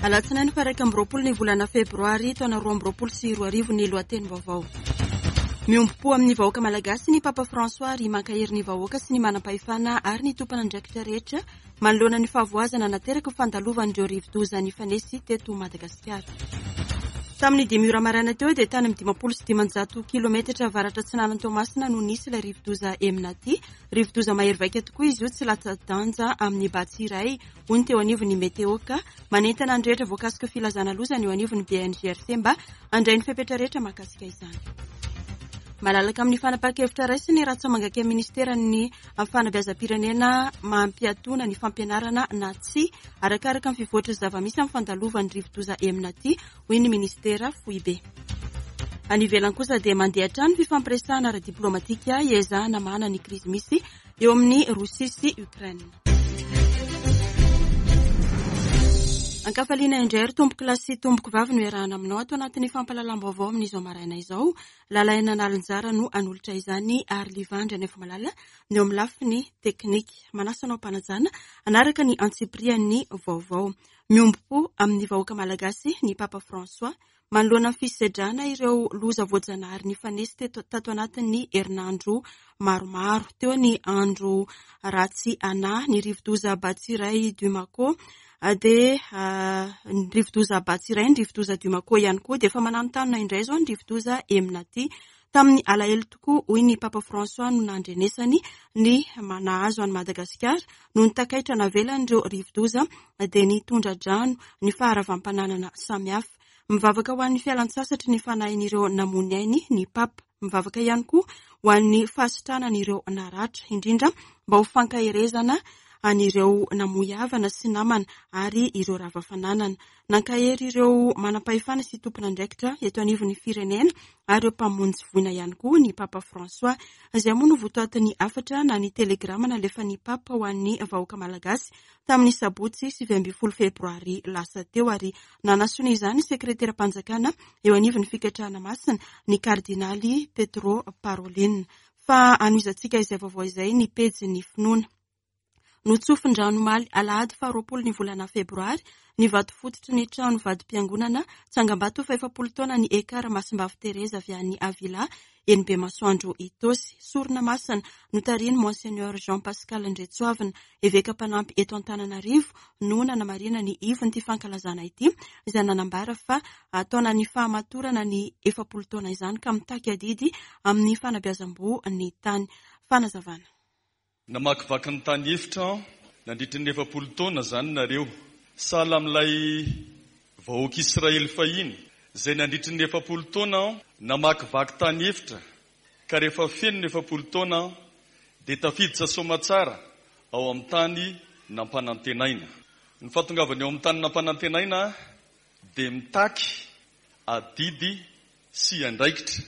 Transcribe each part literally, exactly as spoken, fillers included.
Alatsinainy faha iraika amby roapolo ny volana febroary taona roa amby roapolo sy roa arivo ny lohatenim-baovao. Miombom-po amin'ny vahoaka malagasy ny Papa François ary mankahery ny vahoaka sy ny manam-pahefana ary ny tompon'andraikitra rehetra manoloana ny fahavoazana nateraky ny fandalovan'ireo rivodoza nifanesy teto Madagasikara. Tamin'ny dimy ora maraina teo dia tany amin'ny dimampolo sy dimanjato kilometatra avaratra atsinanan'i Toamasina no nisy ilay rivodoza Emnati. Rivodoza mahery vaika tokoa izy io, tsy latsa-danja amin'ny batsy iray, hoy ny teo anivon'ny Météo, ka manentana ny rehetra voakasika filazana loza ny eo anivon'ny B N G R C mba handray ny fepetra rehetra mahakasika izany. Malalaka amin'ny fanapahan-kevitra raisiny ratsamangaka amin'ny ministeran'ny fanabeazam-pirenena mampiatona ny fampianarana na tsy arakaraka ny fivoatry ny zava-misy amin'ny fandalovan'ny rivodoza Emnati, hoy ny ministera foibe. Any ivelany kosa dia mandeha hatrany ny fifampiresahana ara-diplomatika iezahana mahana ny krizy misy eo amin'ny Rosia sy Ukraine. Ankafaliana indray ry tompoko lahy sy tompoko vavy no iarahana aminao ato anatin'ny fampahalalam-baovao amin'izao maraina izao. Lalaina Nalinjara no hanolotra izany ary Livandry Anefomalala ny eo amin'ny lafiny teknika. Manasa anao am-panajana hanaraka ny antsipirian'ny vaovao. Miombom-po amin'ny vahoaka malagasy ny Papa François manoloana ny fisedrana ireo loza voajanahary nifanesy teto tato anatin'ny herinandro maromaro. Teo ny andro ratsy ana, ny rivodoza Batsirai Dumako, dia ny rivodoza Batsirai, ny rivodoza Dumako ihany koa, dia efa mananontanona indray izao ny rivodoza Emnati. Tamin'ny alahelo tokoa, hoy ny Papa François, no nandrenesany ny nahazo an'i Madagasikara noho ny takaitra navelan'ireo rivodoza dia ny tondra-drano, ny faharavam-pananana samihafa. Mivavaka ho an'ny fialan-tsasatry ny fanahin'ireo namoy ainy ny Papa. Mivavaka ihany koa ho an'ny fahasitranan'ireo naratra, indrindra mba ho fankaherezana an'ireo namoy havana sy namana ary ireo rava fananana. Nankahery ireo manam-pahefana sy tompon'andraikitra eto anivon'ny firenena ary ireo mpamonjy voina ihany koa ny Papa François. Izay moa no votoatin'ny hafatra na ny telegrama nalefan'ny Papa ho an'ny vahoaka malagasy tamin'ny sabotsy sivy ambin'ny folo febroary lasa teo, ary nanasonia izany sekreteram-panjakana eo anivon'ny fikatrahana masina ny kardinaly Pietro Parolin. Fa hanohizantsika izay vaovao izay ny pejin'ny finoana. Notsofin-drano omaly alahady faharoapolo ny volana febroary ny vato fototry ny trano vadim-piangonana tsangambato fahefapolo taona ny Ekar Masimbavy Tereza avy any Avila eny Bemasoandro Itaosy. Sorona masina notarihin'i Monseigneur Jean Pascal Ndretsoavina, eveka mpanampy eto Antananarivo, no nanamarina ny ivon'ity fankalazana ity, izay nanambara fa taonan'ny fahamatorana ny efapolo taona izany ka mitaky adidy amin'ny fanabeazam-boho ny tany. Fanazavana. Namakivaky ny tany efitra nandritra ny efapolo taona izany nareo, sahala amin'ilay vahoaka Israely fahiny izay nandritra ny efapolo taona namakivaky tany efitra, ka rehefa feno ny efapolo taona dia tafiditra soamatsara ao amin'ny tany nampanantenaina. Ny fahatongavana eo amin'ny tany nampanantenaina dia mitaky adidy sy andraikitra,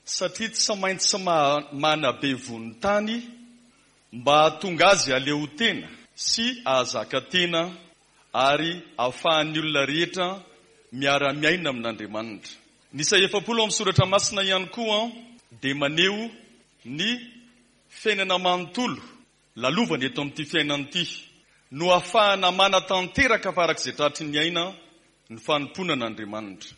satria tsy maintsy ma-, manabe vonon-tany mba hahatonga azy aleo tena sy ahazaka tena ary ahafahan'ny olona rehetra miara-miaina amin'Andriamanitra. Ny isa efapolo amin'ny soratra masina ihany koa dia maneho ny fiainana manontolo lalovana eto amin'ity fiainana ity no ahafahana manatanteraka farak'izay tratry ny aina ny fanompoana an'Andriamanitra.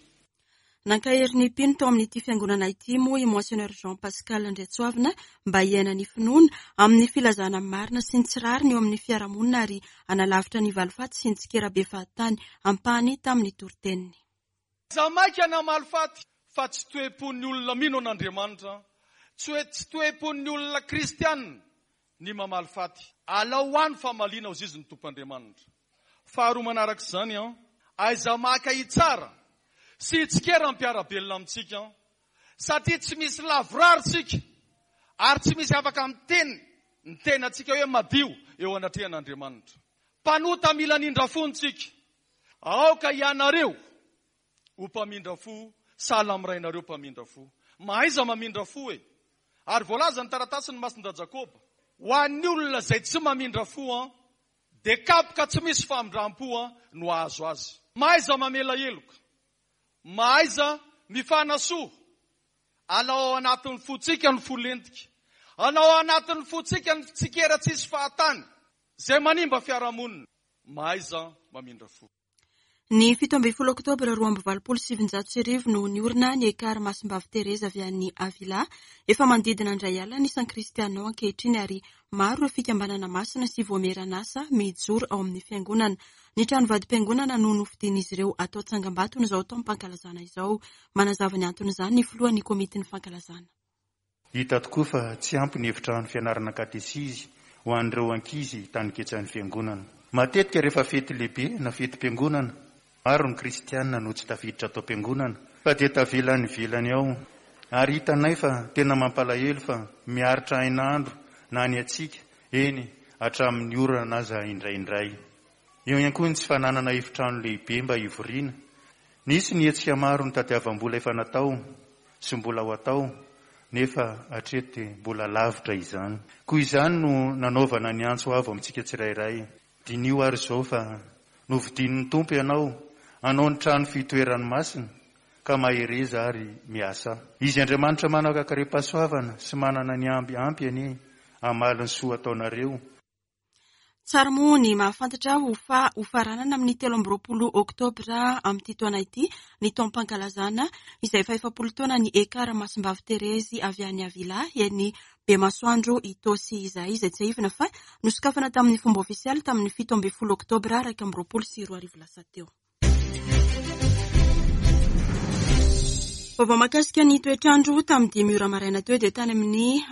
Nankahery ny mpino tao amin'ity fiangonana ity moa i Monseigneur Jean Pascal Ndretsoavina mba hiaina ny finoana amin'ny filazana marina sy ny tsy rariny eo amin'ny fiarahamonina ary hanalavitra ny valifaty sy ny tsikera be fahatany ampahany tamin'ny toriteniny. Aza maika na malifaty fa tsy toe-pon'ny olona mino an'Andriamanitra, tsy hoe tsy toe-pon'ny olona kristianina ny mamaly faty. Alao ho any famaliana ho zizy ny Tompo Andriamanitra. Faharoa manaraka izany, an, aiza maka hitsara sy tsikera mpiara-belona amintsika, satria tsy misy lavorary isika ary tsy misy afaka miteny ny tenantsika hoe madio eo anatrehan'Andriamanitra. Mpanota mila nindra fo ntsika. Aoka ianareo ho mpamindra fo, sahala amin'ny rainareo mpamindra fo. Mahaiza mamindra fo e. Ary voalaza ny taratasin'ny Masinda Jakoba, ho an'ny olona izay tsy mamindra fo, an, dia kapoka tsy misy famindram-po, an, no hahazo azy. Mahaiza mamela heloka, mahaiza mifanasoa. Alao ao anatin'ny fontsika ny fo lentika, alao ao anatin'ny fontsika ny tsikera tsisy fahatany izay manimba fiarahamonina. Mahaiza mamindra fo. Ny fito ambin'ny folo oktobra roa amby valopolo sy sivinjato sy arivo no niorina ny Ekar Masimbavy Tereza avy any Avila. Efa manodidina indray alina ny isan'ny kristiana ao ankehitriny ary maro ireo fikambanana masina sy voamieran'asa mijoro ao amin'ny fiangonana. Ny trano vadim-piangonana no nofidian'izy ireo atao tsangambatony izao taom-pankalazana izao. Manazava ny anton'izany ny filohan'ny komitin'ny fankalazana. Hita tokoa fa tsy ampy ny efitrano fianarana katesizy ho an'ireo ankizy tany ketsan'ny fiangonana. Matetika rehefa fety lehibe na fetim-piangonana, maro ny kristiana no tsy tafiditra ato am-piangonana fa dia tavela any ivelany ao. Ary hitanay fa tena mampalahelo fa miaritra hainandro na ny antsika, eny hatramin'ny orana aza indraindray. Eo ihany koa ny tsy fananana efitrano lehibe mba hivoriana. Nisy ny hetsika maro nitadiavam-bola efa natao sy mbola ho atao, nefa hatreto dia mbola lavitra izany. Koa izany no nanaovana ny antso avo amintsika tsirairay. Diniho ary izao fa novidian'ny Tompo ianao hanao ny trano fitoerany masina, ka mahereza ary miasa. Izy Andriamanitra manana karem-pahasoavana sy manana ny amby ampy anie hamaly ny soa ataonareo. Tsara moa ny mahafantatra ho fa ho faranana amin'ny telo amby roapolo oktobra amin'ity taona ity ny taom-pankalazana izay efa efapolo taona ny Ekar Masimbavy Terezy avy any Avila eny Bemasoandro Itaosy izay, izay tsiahivina fa nosokafana tamin'ny fomba ofisialy tamin'ny fito ambin'ny folo oktobra iraika amby roapolo sy roa arivo lasa teo. Vaovao mahakasika ny toetrandro tamin'ny dimy ora maraina teo dia tany amin'ny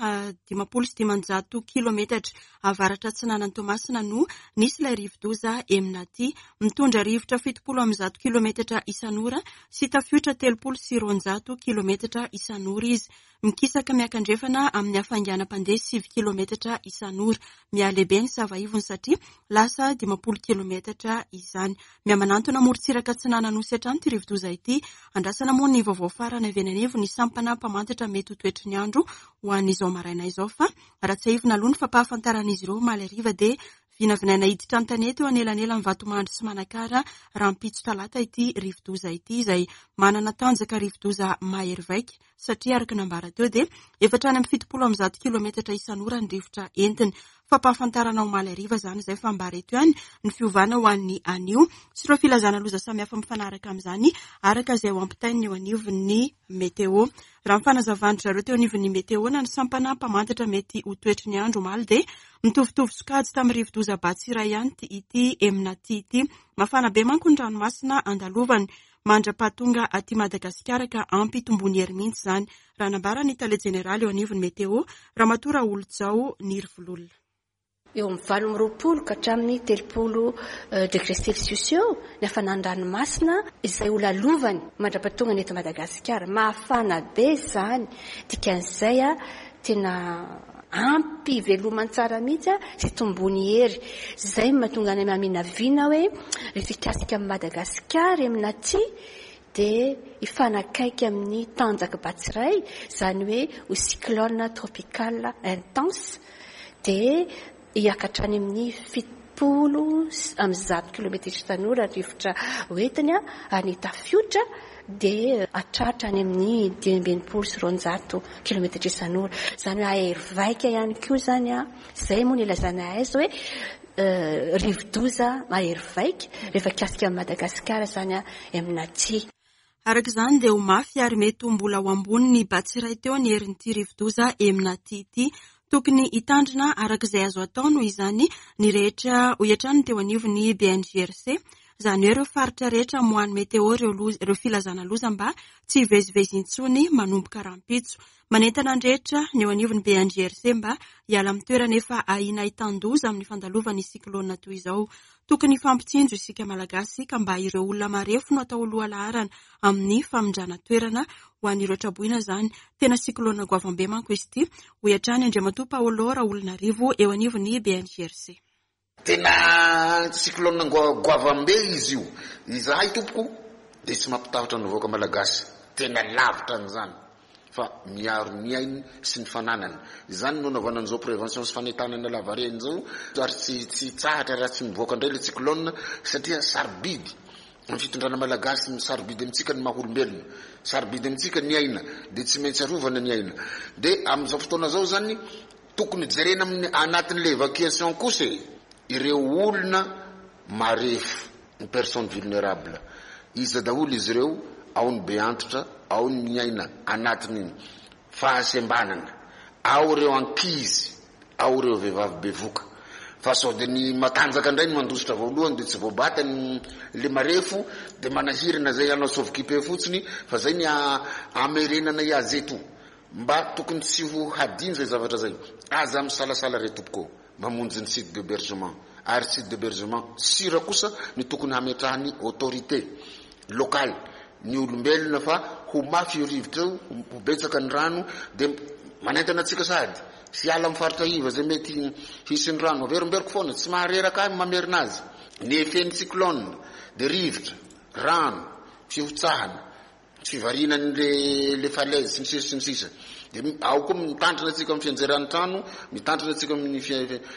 dimampolo sy dimanjato kilometatra avaratra atsinanan'i Toamasina no nisy ilay rivodoza Emnati. Mitondra rivotra fitopolo amby zato kilometatra isan'ora sy tafiotra telopolo sy roanjato kilometatra isan'ora izy. Mikisaka miakandrefana amin'ny hafainganam-pandeha sivy kilometatra isan'ora. Mihalehibe ny savaivony satria lasa dimampolo kilometatra izany. Mihamanantona morontsiraka atsinanana Nosy hatrany ity rivodoza ity. Andrasana moa ny vaovao farany avy eny anivon'ny sampana mpamantatra mety ho toetry ny andro ho an'izao maraina izao, fa raha tsiahivina aloha ny fampahafantaran'izy ireo omaly hariva dia vinavinaina hiditra an-tanety eo anelanelan'ny Vatomandry sy Manakara rahampitso talata ity rivodoza ity, izay manana tanjaka rivodoza mahery vaika satria araka nambara teo dia efa hatrany amin'ny fitopolo amby zato kilometatra isan'ora ny rivotra entiny. Fampahafantarana omaly hariva izany izay, fa ambara eto ihany ny fiovana ho an'ny anio sy ireo filazana loza samihafa mifanaraka amin'izany araka izay ho ampitain'ny eo anivon'ny meteo. Raha ny fanazavan-dry zareo teo anivon'ny meteo na ny sampana mpamantatra mety ho toetry ny andro omaly dia mitovitovy sokajy tamin'ny rivodoza Batsirai ihany ity Emnati ity. Mafana be manko ny ranomasina andalovany mandra-pahatonga aty Madagasikara ka ampitombony hery mihitsy izany, raha nambara ny tale jeneraly eo anivon'ny meteo Ramatoa Raolojao Nirivololona. Eo amin'ny valo amby roapolo ka hatramin'ny telopolo degré Celsius eo ny hafanan'ny ranomasina izay ho lalovany mandra-pahatonga ny eto Madagasikara. Mafana be izany, dikan'izay a tena ampy velomany tsara mihitsy a sy tombony hery. Izay mahatonga any maminavina hoe rehefa hikasika amin'i Madagasikara Emnati dia hifanakaiky amin'ny tanjaka Batsirai, izany hoe ho cyclone tropical intense, dia hiakatra any amin'ny fitopolo amby zato kilometatra isan'ora rivotra hoentiny a, ary ny tafiotra dia hatratra any amin'ny dimy amby enimpolo sy roanjato kilometatra isan'ora. Izany hoe ahery vaika ihany koa izany a. Izay moa no ilazana azy hoe rivodoza mahery vaika rehefa hikasika amin'i Madagasikara izany a Emnati. Araka izany dia ho mafy ary mety ho mbola ho ambony ny Batsirai teo ny herin'ity rivodoza Emnati ity. Tokony hitandrina araka izay azo atao noho izany ny rehetra hoy hatrany teo anivon'ny B N J R C, izany hoe ireo faritra rehetra moan'ny meteo ireo loza, ireo filazana loza mba tsy hivezivezy intsony manomboka rahampitso. Manentana ny rehetra ny eo anivon'ny B N J R C mba hiala amin'ny toerana efa ahiana hitan-doza amin'ny fandalovan'ny siklôna toy izao. Tokony hifampitsinjo isika Malagasy ka mba ireo olona marefo no atao lohalaharana amin'ny famindrana toerana ho an'ireo traboina izany. Tena siklôna goavambe manko izy ity, hoy hatrany Andriamatoa Paolo Raolonarivo eo anivon'ny B N J R C. Tena siklôna goavambe izy io. Izahay tompoko dia tsy mampitahotra ny vahoaka Malagasy. Tena lavitra an'izany fa miaro ny ainy sy ny fananany. Izany no anaovana an'izao prévention sy fanentanana lavareny izao, ary tsy, tsy tsahatra raha tsy mivoaka indray ilay cyclone, satria sarobidy ny fitondrana Malagasy, ny sarobidy amintsika ny maha olombelona, sarobidy amintsika ny aina, dia tsy maintsy arovana ny aina. Dia amin'izao fotoana izao zany tokony jerena amin'ny anatin'ilay évacuation kosa e, ireo olona marefo, ny personne vulnérable. Iza daholo izy ireo? Ao ny be antitra, ao ny miaina anatin'ny fahasembanana, ao ireo ankizy, ao ireo vehivavy bevoka. Fa sao dia ny matanjaka indray ny mandositra voalohany dia tsy voabata ny le marefo dia manahirana zay hanao sauve-qui-peut fotsiny, fa zay ny amerenana azy eto. Mba tokony tsy ho hadino zay zavatra zay. Aza misalasala re tompoko mamonjy ny site d'hébergement. Ary site d'hébergement sira kosa ny tokony hametrahany autorité locale ny olombelona, fa ho mafy io rivotra io, ho betsaka ny rano, dia manentana antsika sady hiala amin'ny faritra iva zay mety hisy ny rano. Averimberiko foana, tsy mahareraka ahy mamerina azy. Ny effet-n'ny cyclone dia rivotra, rano, fihotsahana, fivarinany le le falaise sy ny sisa sy ny sisa. Dia ao koa mitandrina antsika amin'ny fianjeran'ny trano, mitandrina antsika amin'ny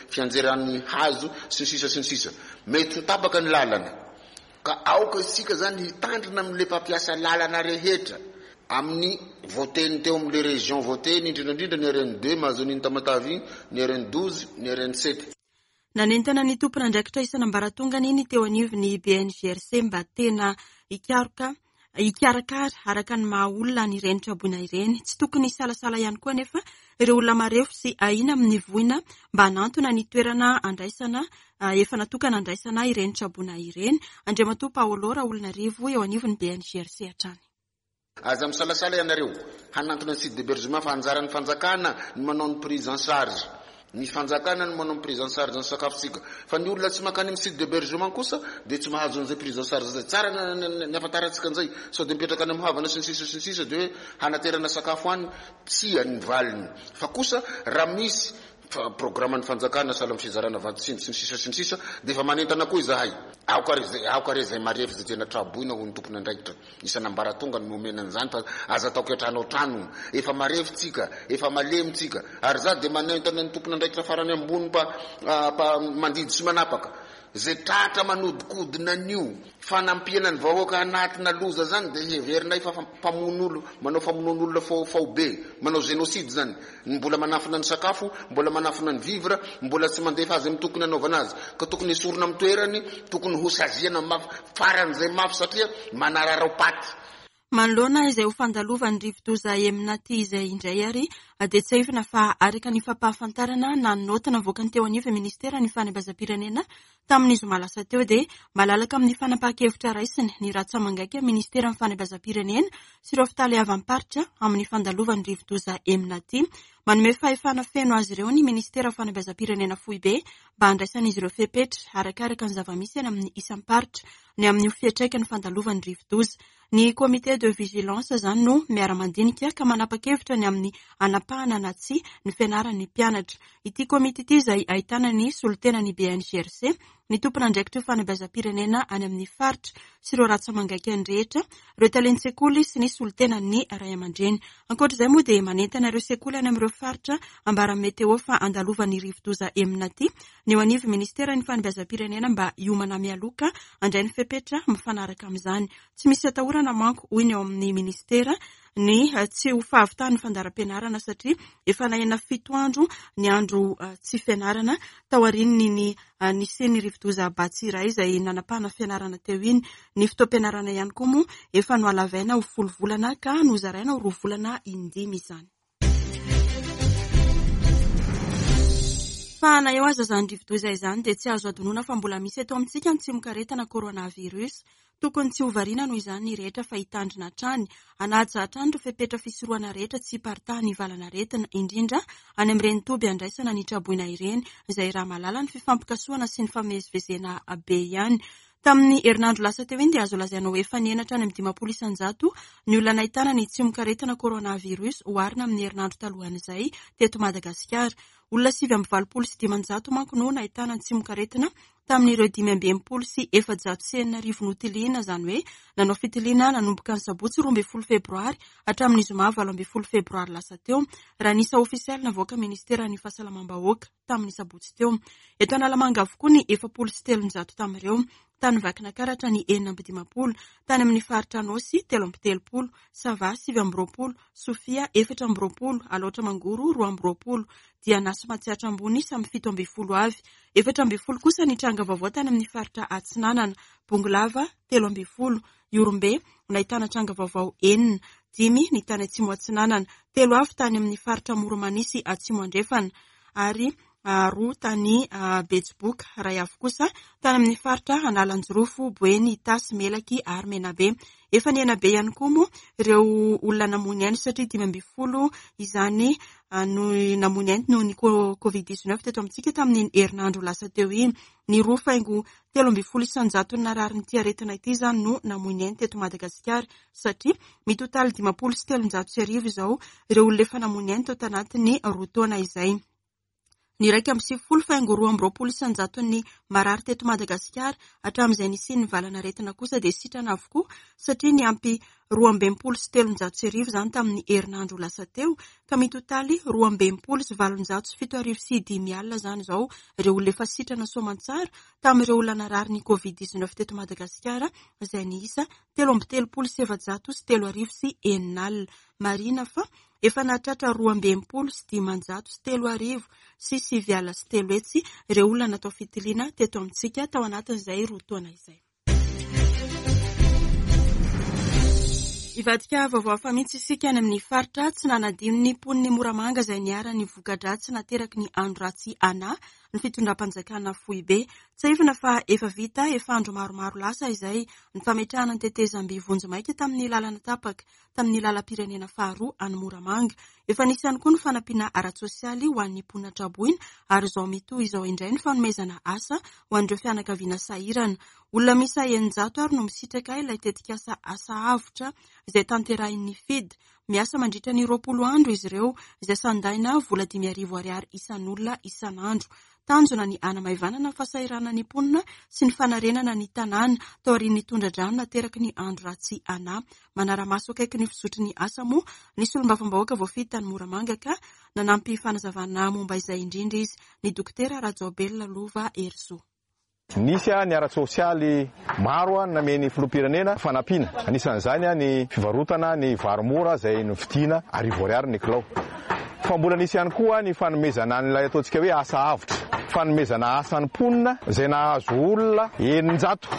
fianjeran'ny hazo sy ny sisa sy ny sisa. Mety ho tapaka ny lalana. Ka aoka isika zany hitandrina amin'le mpampiasa lalana rehetra amin'ny voateny teo amin'le région voateny, indrindra indrindra ny R N deux mahazo an'iny Tamatave iny, ny R N douze, ny R N sept. Nanentana ny tompon'andraikitra isan'ambaratongany ny teo anivon'ny B N G R C mba tena hikaroka hikarakara araka ny maha olona ny ireny traboina ireny. Tsy tokony hisalasala ihany koa anefa ireo olona marefo sy ahiana amin'ny voina mba hanantona ny toerana andraisana efa natokana andraisana ireny traboina ireny. Andriamatoa Paolo Raolonarivo eo anivon'ny B N G R C hatrany. Aza misalasala ianareo hanantona ny site d'hébergement, fa anjaran'ny fanjakana ny manao ny prise en charge. Ny fanjakana ny manao ny prise en charge ny sakafontsika. Fa ny olona tsy mankany amin'ny site d'hébergement kosa dia tsy mahazo an'izay prise en charge zay. Tsara ny afantarantsika an'izay. Sao dia mipetraka any amin'ny havana sy ny sisa sy ny sisa dia hoe hanaterana sakafo any, tsia ny valiny. Fa kosa raha misy programme ny fanjakana sahala amin'ny fizarana vatsy sy ny sisa sy ny sisa dia efa manentana koa izahay. Aoka re zay, aoka re zay marefo zay tena traboina ho ny tompon'andraikitra. Isan'ambaratonga no nomena an'izany, fa aza atao kiantrano an-trano. Efa marefo tsika, efa malemy tsika. Ary za dia manentana ny tompon'andraikitra farany ambony mpa, mpa mandidy sy manapaka. Zay tratra manodikodina an'io fanampiana ny vahoaka anatina loza zany dia heverinay fa mpamono olo, manao famonoan'olona faobe, manao génocide zany. Mbola manafina ny sakafo, mbola manafina ny vivre, mbola tsy mandefa azy amin'ny tokony hanaovana azy. Ka tokony esorina amin'ny toerany, tokony ho saziana mafy, faran'izay mafy satria manararao-paty. Manoloana izay ho fandalovan'ny rivodoza Emnati izay indray ary dia tsiahivina fa araka ny fampahafantarana na ny naoty navoakany teo anivon'ny ministeran'ny fanabeazam-pirenena tamin'ny zoma lasa teo dia malalaka amin'ny fanapahan-kevitra raisiny ny ratsa-mangaika ministeran'ny fanabeazam-pirenena sy ireo fitaleavam-paritra amin'ny fandalovan'ny rivodoza Emnati. Manome fahefana feno azy ireo ny ministeran'ny fanabeazam-pirenena foibe mba handraisan'izy ireo fepetra arakaraka ny zava-misy any amin'ny isam-paritra ny amin'io fiantraikan'ny fandalovan'ny rivodoza. Ny comité de vigilance zany no miara-mandinika ka manapa-kevitra ny amin'ny anapahana na tsia ny fianaran'ny mpianatra. Ity komity ity izay ahitana ny solotenan'ny B N G R C, ny tompon'andraikitra fanabeazam-pirenena any amin'ny faritra sy ireo ratsa-mangaikany rehetra, ireo talen-tsekoly sy ny solotenan'ny ray aman-dreny. Ankoatra izay moa dia manentana ireo sekoly any amin'ireo faritra ambaran'ny meteo fa andalovan'ny rivodoza Emnati ny eo anivon'ny ministeran'ny fanabeazam-pirenena mba hiomana mialoha handray ny fepetra mifanaraka amin'izany. Tsy misy atahorana manko hoy ny eo amin'ny ministera ny tsy ho fahavitan'ny fandaharam-pianarana satria efa nahena fito andro ny andro tsy fianarana taorian'ny ny nisian'ny rivodoza Batsirai izay nanapahana fianarana teo iny. Ny fotoam-pianarana ihany koa moa efa nohalavaina ho folo volana ka nozaraina ho roa volana indimy izany. Fa na eo aza izany rivodoza izany dia tsy azo adinoina fa mbola misy eto amintsika ny tsimokaretina coronavirus. Tokony tsy ho variana noho izany ny rehetra fa hitandrina hatrany, hanaja hatrany ireo fepetra fisorohana rehetra tsy hiparitahan'ny valanaretina, indrindra any amin'ireny toby andraisana ny traboina ireny, izay raha mahalala ny fifampikasohana sy ny famezivezena be ihany. Tamin'ny herinandro lasa teo iny dia azo lazaina ho efa nihena hatrany amin'ny dimampolo isan-jato ny olona nahitana ny tsimokaretina coronavirus oharina amin'ny herinandro talohan'izay teto Madagasikara. Olona sivy amby valopolo sy dimanjato manko no nahitana ny tsimokaretina tamin'ireo dimy amby enimpolo sy efajato sy enina arivo notiliana, izany hoe nanao fitiliana nanomboka ny sabotsy roa ambin'ny folo febroary hatramin'ny zoma valo ambin'ny folo febroary lasa teo, raha ny isa ofisialy navoaka ministeran'ny fahasalamam-bahoaka tamin'ny sabotsy teo. Eto Analamanga avokoa ny efapolo sy telonjato tamin'ireo, tany Vakinankaratra ny enina amby dimampolo, tany amin'ny faritra Anôsy telo amby telopolo, Sava sivy amby roapolo, Sofia efatra amby roapolo, Alaotra Mangoro roa amby roapolo, Diana sy Matsiatra Ambony samy fito ambin'ny folo avy. Efatra ambin'ny folo kosa ny tranga vaovao tany amin'ny faritra Atsinanana, Bongolava telo ambin'ny folo, Ihorombe nahitana tranga vaovao enina, dimy ny tany Atsimo Atsinanana, telo avy tany amin'ny faritra Moromanisy Atsimo Andrefana ary roa tany Betsiboka, iray avy kosa tany amin'ny faritra Analanjirofo, Boeny, Itasy, Melaky ary Menabe. Efa nihena be ihany koa moa ireo olona namoy ny ainy satria dimy ambin'ny folo izany no namoy ny ainy noho ny covid dix-neuf teto amintsika tamin'iny herinandro lasa teo iny. Ny roa faingo telo ambin'ny folo isan-jato nararin'ity aretina ity izany no namoy ny ainy teto Madagasikara satria mitotaly dimampolo sy telonjato sy arivo izao ireo olona efa namoy ny ainy tao tanatin'ny roa taona izay. Ny iraika amby sivifolo faingo roa amby roapolo isan-jaton'ny marary teto Madagasikara hatramin'izay nisian'ny valanaretina kosa dia sitrana avokoa satria niampy roa amby enimpolo sy telonjato sy arivo izany tamin'ny herinandro lasa teo ka mitotaly roa amby enimpolo sy valonjato sy fito arivo sy dimy alina izany izao ireo olona efa sitrana soamantsara tamin'ireo olona narary ny covid dix-neuf teto Madagasikara izay niisa telo amby telopolo sy efajato sy telo arivo sy enina alina. Marihina fa efa nahatratra roa amby enimpolo sy dimanjato sy telo arivo sy sivy alina sy telo hetsy ireo olona natao fitiliana teto amintsika tao anatin'izay roa taona izay. Hivadika vaovao hafa mihitsy isika any amin'ny faritra tsy nanadino ny mponin'ny Moramanga izay niharan'ny voka-dratsy nateraky ny andro ratsy Ana ny fitondram-panjakana foibe. Tsiahivina fa efa vita efa andro maromaro lasa izay ny fametrahana ny tetezamby vonjimaika tamin'ny lalana tapaka tamin'ny lalam-pirenena faharoa any Moramanga. Efa nisy ihany koa ny fanampiana ara-tsosialy ho an'ny mponina traboina ary izao mitohy izao indray ny fanomezana asa ho an'ireo fianakaviana sahirana. Olona miisa eninjato ary no misitraka ilay tetikasa asa avotra izay tanterahin'ny F I D. Miasa mandritra ny roapolo andro izy ireo izay sandaina vola dimy arivo ariary isan'olona isan'andro. Tanjona ny hanamaivanana ny fahasahiranan'ny mponina sy ny fanarenana ny tanàna taorian'ny tondra-drano nateraky ny andro ratsy Ana. Manara-maso akaiky ny fizotry ny asa moa ny solombavambahoaka voafidy tany Moramanga ka nanampy fanazavana momba izay indrindra izy, ny dokotera Rajaobelina Lova Herizo. Nisy ny ara-tsosialy maro nameny filoham-pirenena fanampiana. Anisan'izany ny fivarotana ny vary mora izay novidiana arivo ariary ny kilao. Fa mbola nisy ihany koa ny fanomezana an'ilay ataontsika hoe asa avotra, fanomezana asa ny mponina izay nahazo olona eninjato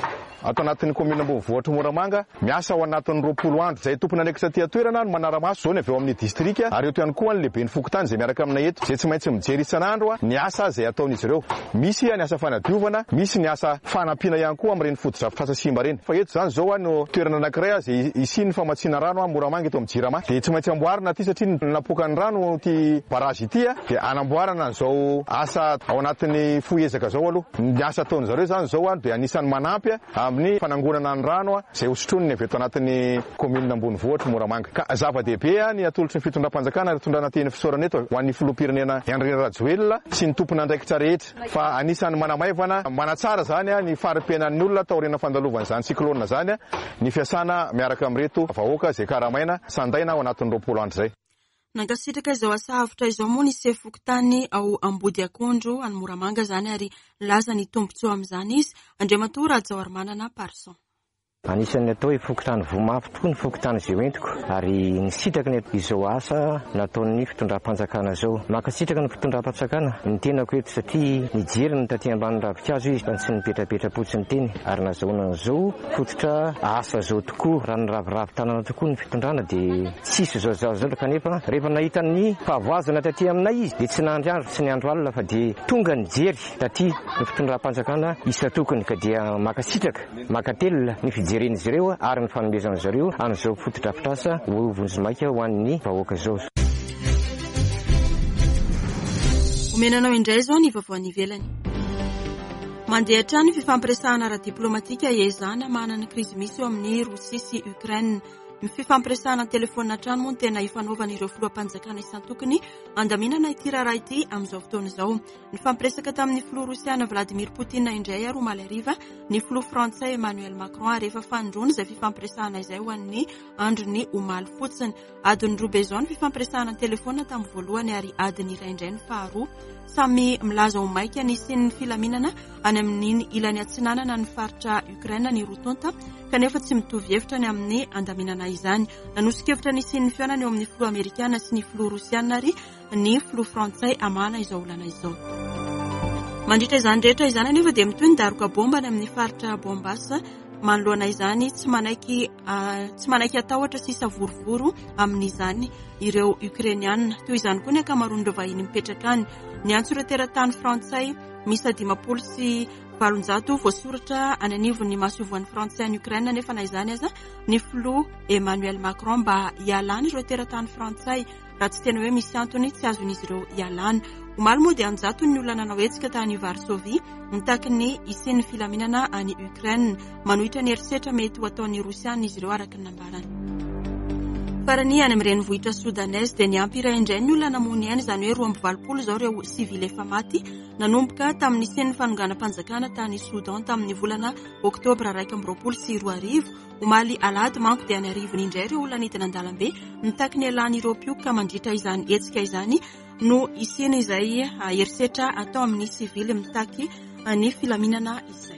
ato anatin'ny commune ambonivohitra Moramanga miasa ao anatin'ny roapolo andro. Izay tompon'andraikitra aty an-toerana no manara-maso izao ny avy eo amin'ny distrika ary eto ihany koa ny lehiben'ny fokontany izay miaraka aminay eto izay tsy maintsy mijery isan'andro ny asa izay ataon'izy ireo. Misy ny asa fanadiovana, misy ny asa fanampiana ihany koa amin'ireny fotodrafitrasa simba ireny. Fa eto izany izao no toerana anankiray izay hisian'ny famatsiana rano Moramanga eto amin'ny Jirama. Dia tsy maintsy amboarina aty satria napoaka ny rano ity barrage ity dia anamboarana an'izao asa ao anatin'ny fohy ezaka izao aloha. Ny asa ataon'izareo izany izao dia anisan'ny manampy amin'ny fanangonana ny rano izay hosotroniny avy eto anatin'ny commune ambonivohitra Moramanga. Ka zava-dehibe ny atolotry ny fitondram-panjakana ary tondrana teny fisaorana eto ho an'ny filoham-pirenena Andry Rajoelina sy ny tompon'andraikitra rehetra fa anisan'ny manamaivana manatsara izany ny fari-piainan'ny olona taorian'ny fandalovan'izany cyclone izany ny fiasana miaraka amin'ireto vahoaka izay karamaina sandaina ao anatin'ny roapolo andro izay. Nankasitraka izao asa avotra izao moa ny sefo fokontany ao Ambodiakondro any Moramanga izany ary nilaza ny tombontsoa amin'izany izy, Andriamatoa Rajaoarimanana Parson. Anisan'ny atao hoe fokontany voa mafy tokoa ny fokontany izay hoentiko ary nisitraka ny izao asa nataon'ny fitondram-panjakana izao. Mankasitraka ny fitondram-panjakana ny tenako eto satria nijery ny taty ambany ravinkazo izy fa tsy nipetrapetra-potsiny teny ary nazahoana an'izao fototra asa izao tokoa. Raha niraviravy tanana tokoa ny fitondrana dia tsisy izao zavatra izao kanefa rehefa nahita ny fahavoazana taty aminay izy dia tsy nandry andro tsy niandro alina fa dia tonga nijery taty ny fitondram-panjakana isan-tokony ka dia mankasitraka mankatelina ny fijeren'izy ireo ary ny fanomezan'izy ireo an'izao fotodrafitrasa ho vonjimaika ho an'ny vahoaka izao. Omena anao indray izao ny vaovao any ivelany. Mandeha hatrany ny fifampiresahana ara-diplomatika ezahana manana ny krizy misy eo amin'ny Rosia sy Ukraine. Ny fifampiresahana an-telefaonina hatrany moa no tena ifanaovan'ireo filoham-panjakana isan-tokony andaminana ity raharaha ity amin'izao fotoana izao. Nifampiresaka tamin'ny filoha rosiana Vladimir Poutine indray ary omaly hariva ny filoha frantsay Emmanuel Macron ary efa fanindroany izay fifampiresahana izay ho an'ny androny omaly fotsiny. Adiny roa be izao ny fifampiresahana an-telefaonina tamin'ny voalohany ary adiny iray indray ny faharoa. Samy milaza ho maika ny hisian'ny filaminana any amin'iny ilany atsinanana ny faritra Ukraine ny roa tonta kanefa tsy mitovy hevitra ny amin'ny andaminana izany. Nanoso-kevitra ny hisian'ny fihaonana eo amin'ny filoha amerikana sy ny filoha rosiana ary ny filoha frantsay hamahana izao olana izao. Mandritra izany rehetra izany anefa dia mitohy ny daroka bomba any amin'ny faritra Donbass. Manoloana izany, tsy manaiky tsy manaiky atahotra sy savorovoro amin'izany ireo Ukrainiana. Toy izany koa ny ankamaroan'ireo vahiny mipetraka any. Niantso ireo teratany frantsay miisa dimampolo sy valonjato voasoratra any anivon'ny masoivohon'ny frantsay any Ukraine nefa na izany aza ny filoha Emmanuel Macron mba hialany ireo teratany frantsay raha tsy tena hoe misy antony tsy azon'izy ireo hialana. Omaly moa dia anjatony ny olona nanao hetsika tany Varsovie mitaky ny hisian'ny filaminana any Ukraine. Manohitra ny herisetra mety ho ataon'ny Rosiana izy ireo araka ny nambarany. Farany, any amin'ny renivohitra sodanese dia niampy iray indray ny olona namoy ny ainy, izany hoe roa amby valopolo izao ireo sivily efa maty nanomboka tamin'ny nisian'ny fanonganam-panjakana tany Soudan tamin'ny volana oktobra iraika amby roapolo sy roa arivo. Omaly alahady manko dia an'arivony indray ireo olona nidina an-dalambe mitaky ny hialan'ireo mpioka. Mandritra izany hetsika izany no hisiana izay herisetra atao amin'ny sivily mitaky ny filaminana izay.